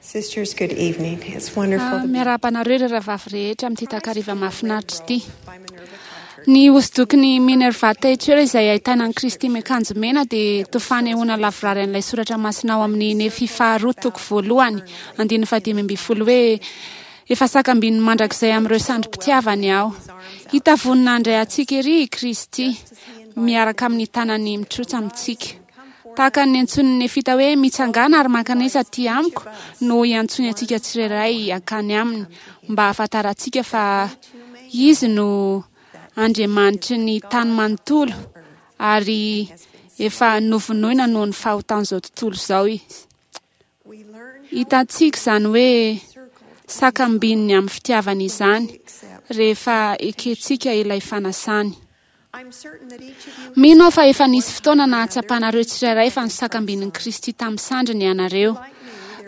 Sisters, good evening. It's wonderful to be Miarahaba anareo ireo rahavavy rehetra amin'ity takariva mahafinaritra ity. Ny hosodokon'i Minerva Thatcher izay ahitana an'i Kristy miakanjo mena dia toa fanehoana lavorary an'ilay soratra masina ao amin'ny Nefy faharoa toko voalohany andininy fahadimy ambin'ny folo hoe efa sakambininy mandrakizay amin'ireo sandrim-pitiavany aho. Hita vonona handray antsika ery i Kristy miaraka amin'ny tanany mitrotsa amintsika. Tahaka ny niantsoan'ny Nefita hoe mitsangàna ary mankanesa aty amiko no iantsoany antsika tsirairay hankany aminy mba hahafantarantsika fa Izy no Andriamanitry ny tany manontolo ary efa novonoina noho ny fahotan'izao tontolo izao Izy. Hitantsika izany hoe sakambininy amin'ny fitiavany izany rehefa ekentsika ilay fanasany. Mino aho fa efa nisy fotoana nahatsapanareo tsirairay fa nisakambin'i Kristy tamin'ny sandriny ianareo.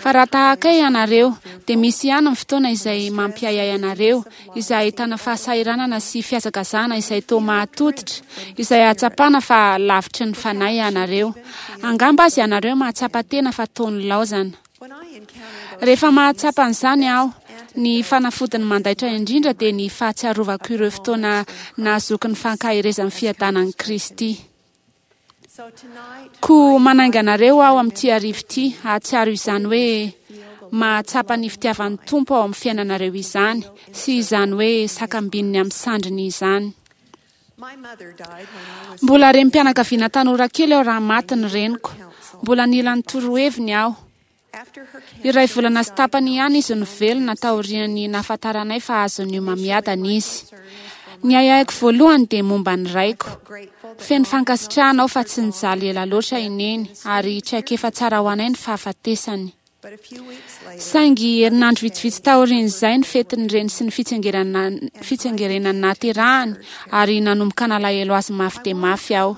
Fa raha tahaka ahy ianareo, dia misy ihany ny fotoana izay mampiahiahy anareo, izay ahitana fahasahiranana sy fihazakazahana izay toa mahatototra, izay ahatsapana fa lavitry ny Fanahy ianareo. Angamba aza ianareo mahatsapa tena fa toa nilaozana. Rehefa mahatsapa an'izany aho, ny fanafodiny mandaitra indrindra dia ny fahatsiarovako ireo fotoana nahazoako ny fankaherezan'ny fiadanan'i Kristy. Koa manainga anareo aho amin'ity hariva ity hahatsiaro izany hoe mahatsapa ny fitiavan'ny Tompo ao amin'ny fiainanareo izany sy izany hoe sakambininy amin'ny sandriny izany. Mbola renim-pianakaviana tanora kely aho raha maty ny reniko. Mbola nila ny toroheviny aho. Iray volana sy tapany ihany izy no velona taorian'ny nahafantaranay fa azon'ny homamiadana izy. Ny ahiahiko voalohany dia momba ny raiko. Feno fankasitrahana aho fa tsy nijaly ela loatra i Neny ary traikefa tsara ho anay ny fahafatesany. Saingy herinandro vitsivitsy taorian'izay ny fetin'ny reny sy ny fitsingerenany nahaterahany ary nanomboka nalahelo azy mafy dia mafy aho.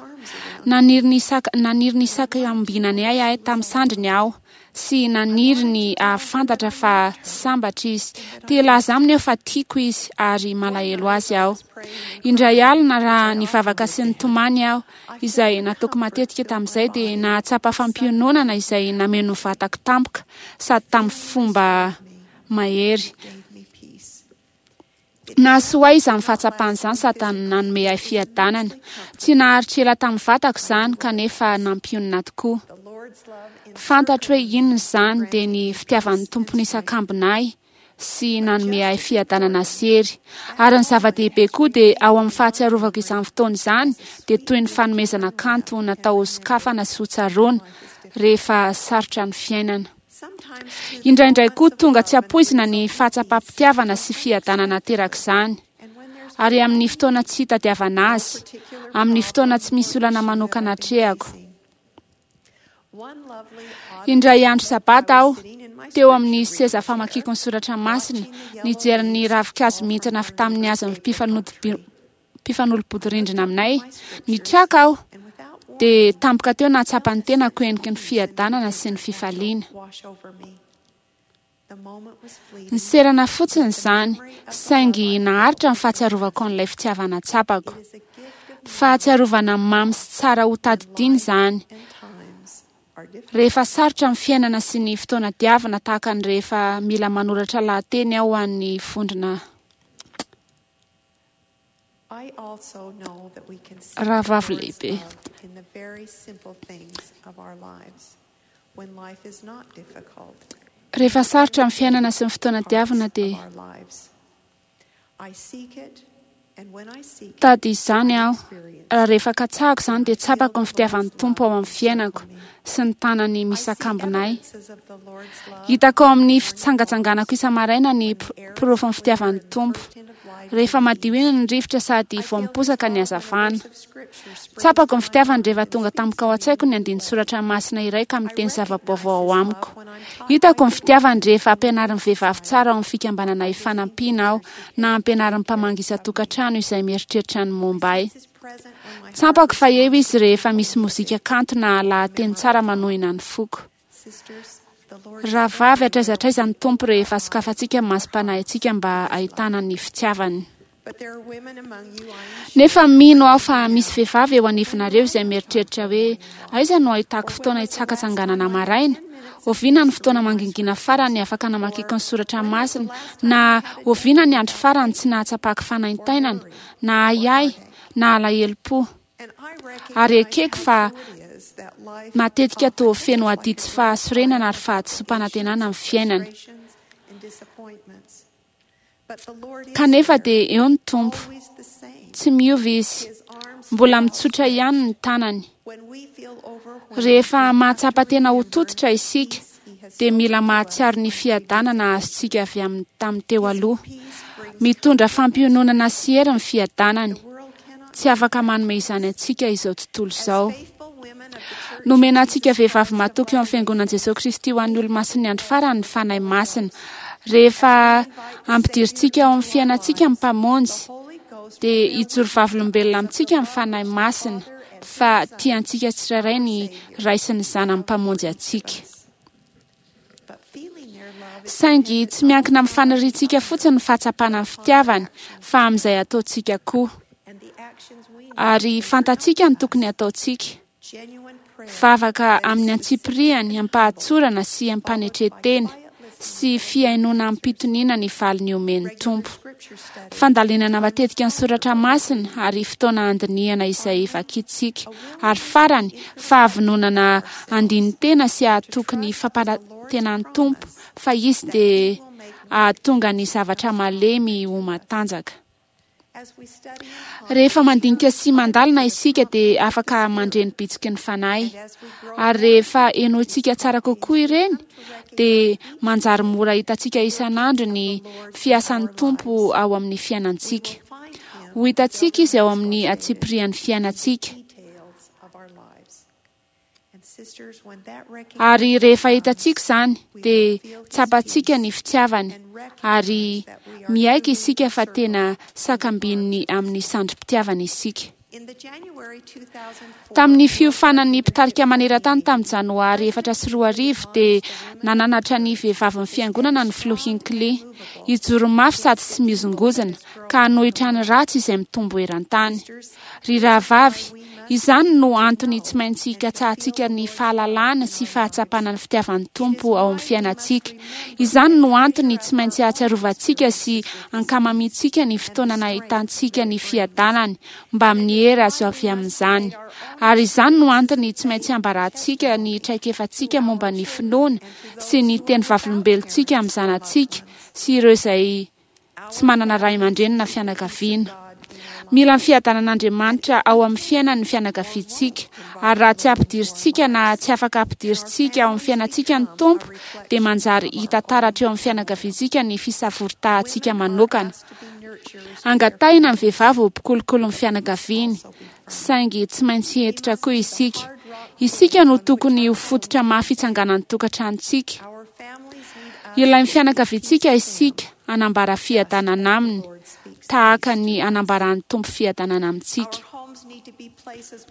Naniry ny naniry ny hisakambinany ahy tamin'ny sandriny aho sy naniry ny hahafantatra fa sambatra izy. Te hilaza aminy aho fa tiako izy ary malahelo azy aho. Indray alina raha nivavaka sy nitomany aho, izay nataoko matetika tamin'izay, dia nahatsapa fampiononana izay nameno ny vatako tampoka sady tamin'ny fomba mahery. Nahasoa ahy izany fahatsapana izany sady nanome ahy fiadanana. Tsy naharitra ela tamin'ny vatako izany kanefa nampionona tokoa. Fantatro hoe inona izany, dia ny fitiavan'ny Tompo nisakambina ahy sy nanome ahy fiadanana sy hery. Ary ny zava-dehibe koa dia ao amin'ny fahatsiarovako izany fotoana izany dia toy ny fanomezana kanto natao hosokafana sy hotsaroana rehefa sarotra ny fiainana. Indraindray koa tonga tsy ampoizina ny fahatsapam-pitiavana sy fiadanana aterak'izany, ary amin'ny fotoana tsy itadiavana azy, amin'ny fotoana tsy misy olana manokana atrehako. Indray andro sabata aho, teo amin'ny seza famakiako ny soratra masina, nijery ny ravinkazo mihintsana avy tamin'ny hazon'ny mpifanolo-bodirindrina aminay. Nitraka aho, dia tampoka teo nahatsapa ny tenako heniky ny fiadanana sy ny fifaliana. Niserana fotsiny izany, saingy naharitra ny fahatsiarovako an'ilay fitiavana tsapako. Fahatsiarovana mamy sy tsara ho tadidiana izany. Rehefa sarotra ny fiainana sy ny fotoana diavina tahaka ny rehefa mila manoratra lahateny aho ho an'ny vondrona Rahavavy lehibe. Rehefa sarotra ny fiainana sy ny fotoana diavina dia Tady izany aho. Raha rehefa katsahako izany dia tsapako ny fitiavan'ny Tompo ao amin'ny fiainako sy ny tanany misakambina ahy. Hitako ao amin'ny fitsangatsanganako isa-maraina ny porofon'ny fitiavan'ny Tompo. Rehefa madio iny ny rivotra sady vao miposaka ny hazavana. Tsapako ny fitiavany rehefa tonga tampoka ao an-tsaiko ny andinin-tsoratra masina iray ka miteny zava-baovao ao amiko. Hitako ny fitiavany rehefa ampianarin'ny vehivavy tsara ao amin'ny fikambanana Ifanampiana aho na ampianarin'ny mpamangy isan-tokantrano izay mieritreritra ny momba ahy. Tsapako fa eo izy rehefa misy mozika kanto na lahateny tsara manohina ny foko. Rahavavy, hatraiza hatraiza ny Tompo rehefa sokafantsika ny masom-panahintsika mba hahitana ny fitiavany. Nefa mino aho fa misy vehivavy eo anivonareo izay mieritreritra hoe, Aiza no ahitako fotoana hitsakatsanganana maraina? Oviana ny fotoana mangingina farany afaka namakiako ny soratra masina? Na oviana ny andro farany tsy nahatsapako fanaintainana, na ahiahy, na alahelom-po? Ary ekeko fa matetika toa feno adidy sy fahasorenana ary fahadisoam-panantenana ny fiainana. Kanefa dia eo ny Tompo. Tsy miova Izy. Mbola mitsotra ihany ny tanany. Rehefa mahatsapa tena ho tototra isika, dia mila mahatsiaro ny fiadanana azontsika avy amin'ny tamin'ny teo aloha. Mitondra fampiononana sy hery ny fiadanany. Tsy afaka manome izany antsika izao tontolo izao. Nomena antsika vehivavy matoky eo amin'ny Fiangonan'i Jesoa Kristy ho an'ny Olomasin'ny Andro Farany ny Fanahy Masina. Rehefa ampidirintsika ao amin'ny fiainantsika ny Mpamonjy, dia hijoro vavolombelona amintsika ny Fanahy Masina fa tia antsika tsirairay ny Ray sy ny Zanany Mpamonjy antsika. Saingy tsy miankina amin'ny faniriantsika fotsiny ny fahatsapana ny fitiavany, fa amin'izay ataontsika koa. Ary fantatsika ny tokony hataontsika. Vavaka amin'ny antsipiriany, am-pahatsorana sy am-panetren-tena, sy fihainoana amim-pitoniana ny valiny omen'ny Tompo. Fandalinana matetika ny soratra masina ary fotoana handinihana izay vakintsika. Ary farany, fahavononana handini-tena sy hahatoky ny fampanantenan'ny Tompo fa Izy dia hahatonga ny zavatra malemy ho matanjaka. Rehefa mandinika sy mandalina isika dia afaka mandre ny bitsiky ny Fanahy. Ary rehefa henointsika tsara kokoa ireny dia manjary mora hitantsika isan'andro ny fiasan'ny Tompo ao amin'ny fiainantsika. Ho hitantsika Izy ao amin'ny antsipirian'ny fiainantsika. Ary rehefa hitantsika izany dia tsapantsika ny fitiavany ary miaiky isika fa tena sakambininy amin'ny sandrim-pitiavany isika. Tamin'ny fiofanan'ny mpitarika maneran-tany tamin'ny Janoary 2004 dia nananatra ny vehivavin'ny Fiangonana ny Filoha Hinckley hijoro mafy sady tsy mihozongozona ka hanohitra ny ratsy izay mitombo eran-tany. Ry rahavavy, izany no antony tsy maintsy hikatsahantsika ny fahalalana sy fahatsapana ny fitiavan'ny Tompo ao amin'ny fiainantsika. Izany no antony tsy maintsy hahatsiarovantsika sy ankamamiantsika ny fotoana nahitantsika ny fiadanany mbamin'ny hery azo avy amin'izany. Ary izany no antony tsy maintsy hambarantsika ny traikefantsika momba ny finoana sy ny teny vavolombelontsika amin'ny zanatsika sy ireo izay tsy manana ray aman-dreny na fianakaviana. Mila ny fiadanan'Andriamanitra ao amin'ny fiainany ny fianakaviantsika, ary raha tsy ampidirintsika na tsy afaka ampidirintsika ao amin'ny fiainantsika ny Tompo, dia manjary hita taratra eo amin'ny fianakaviantsika ny fisavoritahantsika manokana. Angatahina ny vehivavy ho mpikolokolo ny fianakaviany, saingy tsy maintsy hentitra koa isika. Isika no tokony ho fototra mafy itsanganan'ny tokantranontsika. Ilain'ny fianakaviantsika isika hanambara fiadanana aminy, tahaka ny anambaran'ny Tompo fiadanana amintsika.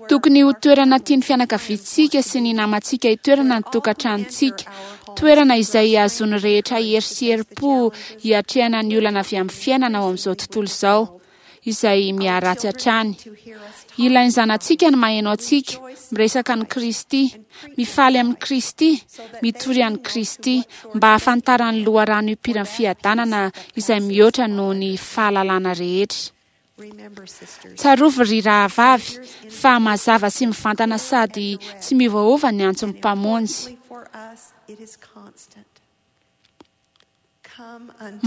Tokony ho toerana tian'ny fianakaviantsika sy ny namantsika hitoerana ny tokantranontsika, toerana izay hahazoan'ny rehetra hery sy herim-po hiatrehana ny olana avy amin'ny fiainana ao amin'izao tontolo izao. izay miharatsy hatrany. Ilain'ny zanatsika ny maheno antsika miresaka an'i Kristy, mifaly amin'i Kristy, mitory an'i Kristy, mba hahafantarany loharano ipiran'ny fiadanana izay mihoatra noho ny fahalalana rehetra. Tsarovy ry rahavavy fa mazava sy mivantana sady tsy miovaova ny antson'ny Mpamonjy.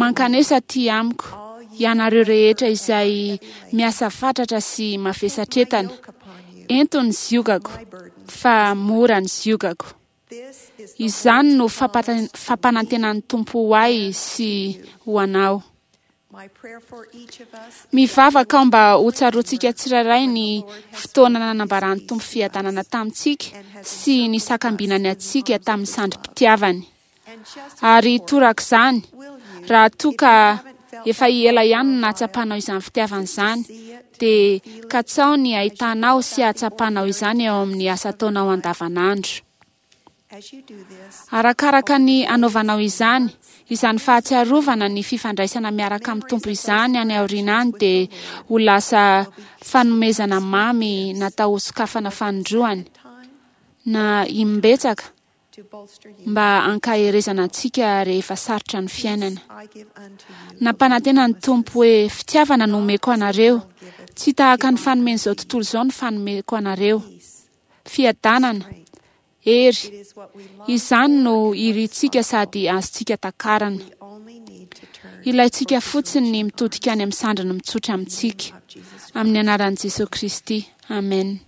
Mankanesa aty amiko, ianareo rehetra izay miasa fatratra sy mavesatretana. Ento ny ziogako, fa mora ny ziogako. Izany no fampanantenan'ny Tompo ho ahy sy ho anao. Mivavaka aho mba ho tsaroantsika tsirairay ny fotoana nanambaran'ny Tompo fiadanana tamintsika sy nisakambinany antsika tamin'ny sandrim-pitiavany. Ary torak'izany, raha toa ka efa ela ihany no nahatsapanao izany fitiavana izany, dia katsaho ny hahitanao sy hahatsapanao izany eo amin'ny asa ataonao andavanandro. Arakaraka ny anaovanao izany, izany fahatsiarovana ny fifandraisana miaraka amin'ny Tompo izany any aoriana any dia ho lasa fanomezana mamy natao hosokafana fanindroany, na imbetsaka. mba hankaherezana antsika rehefa sarotra ny fiainana. Nampanantena ny Tompo hoe, Fitiavana no omeko anareo, tsy tahaka ny fanomen'izao tontolo izao ny fanomeko anareo. Fiadanana, hery, izany no irintsika sady azontsika takarina. Ilaintsika fotsiny ny mitodika any amin'ny sandriny mitsotra amintsika. Amin'ny anaran'i Jesoa Kristy. Amen.